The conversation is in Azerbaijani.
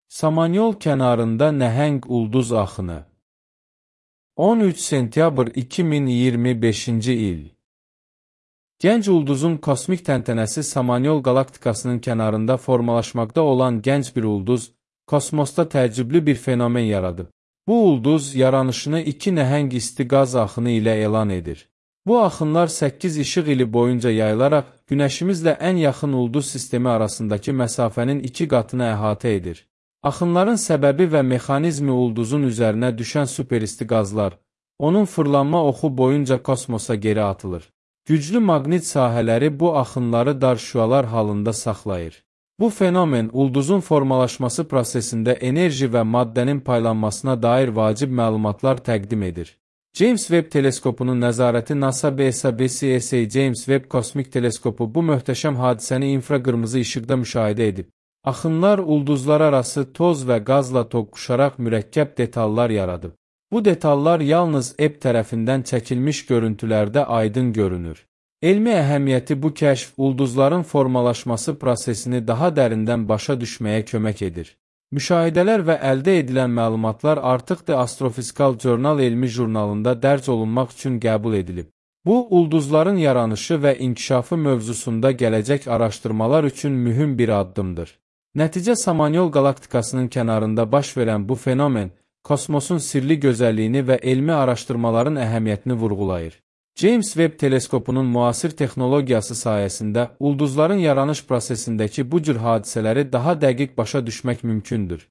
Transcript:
Samanyol kənarında nəhəng ulduz axını. 13 sentyabr 2025-ci il. Gənc ulduzun kosmik təntənəsi Samanyol qalaktikasının kənarında formalaşmaqda olan gənc bir ulduz, kosmosda təəccüblü bir fenomen yaradıb. Bu ulduz yaranışını iki nəhəng isti qaz axını ilə elan edir. Bu axınlar 8 işıq ili boyunca yayılaraq, Günəşimizlə ən yaxın ulduz sistemi arasındakı məsafənin 2 qatını əhatə edir. Axınların səbəbi və mexanizmi ulduzun üzərinə düşən superisti qazlar, onun fırlanma oxu boyunca kosmosa geri atılır. Güclü maqnit sahələri bu axınları dar şüalar halında saxlayır. Bu fenomen ulduzun formalaşması prosesində enerji və maddənin paylanmasına dair vacib məlumatlar təqdim edir. James Webb teleskopunun nəzarəti NASA BSA James Webb kosmik teleskopu bu möhtəşəm hadisəni infraqırmızı işıqda müşahidə edib. Axınlar ulduzlar arası toz və qazla toqquşaraq mürəkkəb detallar yaradıb. Bu detallar yalnız Ebb tərəfindən çəkilmiş görüntülərdə aydın görünür. Elmi əhəmiyyəti bu kəşf ulduzların formalaşması prosesini daha dərindən başa düşməyə kömək edir. Müşahidələr və əldə edilən məlumatlar artıq The Astrophysical Journal elmi jurnalında dərc olunmaq üçün qəbul edilib. Bu, ulduzların yaranışı və inkişafı mövzusunda gələcək araşdırmalar üçün mühüm bir addımdır. Nəticə Samanyol qalaktikasının kənarında baş verən bu fenomen, kosmosun sirli gözəlliyini və elmi araşdırmaların əhəmiyyətini vurğulayır. James Webb teleskopunun müasir texnologiyası sayəsində ulduzların yaranış prosesindəki bu cür hadisələri daha dəqiq başa düşmək mümkündür.